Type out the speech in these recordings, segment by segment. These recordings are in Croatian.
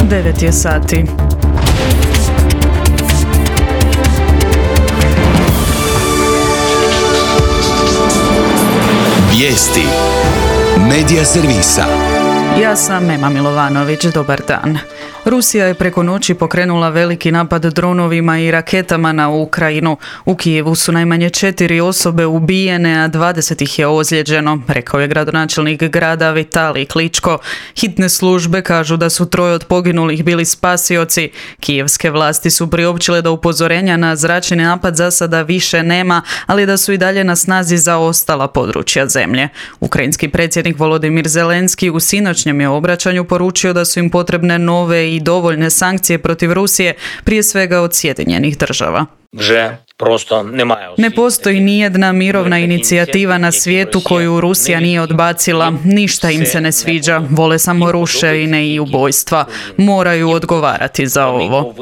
9 je sati. Vijesti Medija servisa. Ja sam Ema Milovanović, dobar dan. Rusija je preko noći pokrenula veliki napad dronovima i raketama na Ukrajinu. U Kijevu su najmanje 4 osobe ubijene, a 20 ih je ozlijeđeno, rekao je gradonačelnik grada Vitalij Kličko. Hitne službe kažu da su 3 od poginulih bili spasioci. Kijevske vlasti su priopćile da upozorenja na zračni napad za sada više nema, ali da su i dalje na snazi za ostala područja zemlje. Ukrajinski predsjednik Volodimir Zelenski u sinoćnjem je obraćanju poručio da su im potrebne nove i dovoljne sankcije protiv Rusije, prije svega od Sjedinjenih država. Ne postoji nijedna mirovna inicijativa na svijetu koju Rusija nije odbacila. Ništa im se ne sviđa. Vole samo ruševine i ubojstva. Moraju odgovarati za ovo.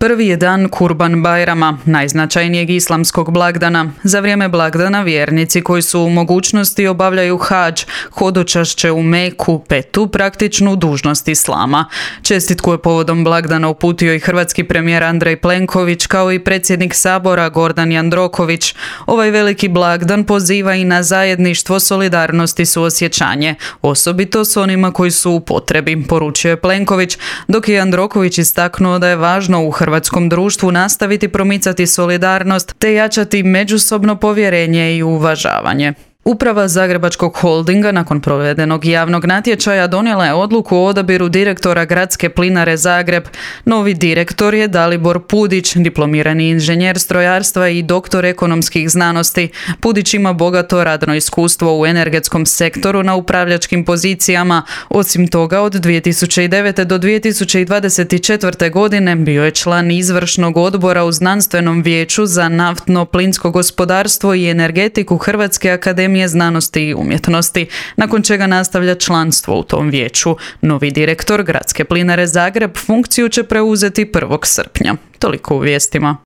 Prvi je dan Kurban Bajrama, najznačajnijeg islamskog blagdana. Za vrijeme blagdana vjernici koji su u mogućnosti obavljaju hadž, hodočašće u Meku, petu praktičnu dužnost islama. Čestitku je povodom blagdana uputio i hrvatski premijer Andrej Plenković, kao i predsjednik Sabora Gordan Jandroković. Ovaj veliki blagdan poziva i na zajedništvo, solidarnost i suosjećanje, osobito s onima koji su u potrebi, poručio je Plenković, dok je Jandroković istaknuo da je važno u hrvatskom društvu nastaviti promicati solidarnost te jačati međusobno povjerenje i uvažavanje. Uprava Zagrebačkog holdinga nakon provedenog javnog natječaja donijela je odluku o odabiru direktora Gradske plinare Zagreb. Novi direktor je Dalibor Pudić, diplomirani inženjer strojarstva i doktor ekonomskih znanosti. Pudić ima bogato radno iskustvo u energetskom sektoru na upravljačkim pozicijama. Osim toga, od 2009. do 2024. godine bio je član izvršnog odbora u Znanstvenom vijeću za naftno-plinsko gospodarstvo i energetiku Hrvatske akademije znanosti i umjetnosti, nakon čega nastavlja članstvo u tom vijeću. Novi direktor Gradske plinare Zagreb funkciju će preuzeti 1. srpnja. Toliko u vijestima.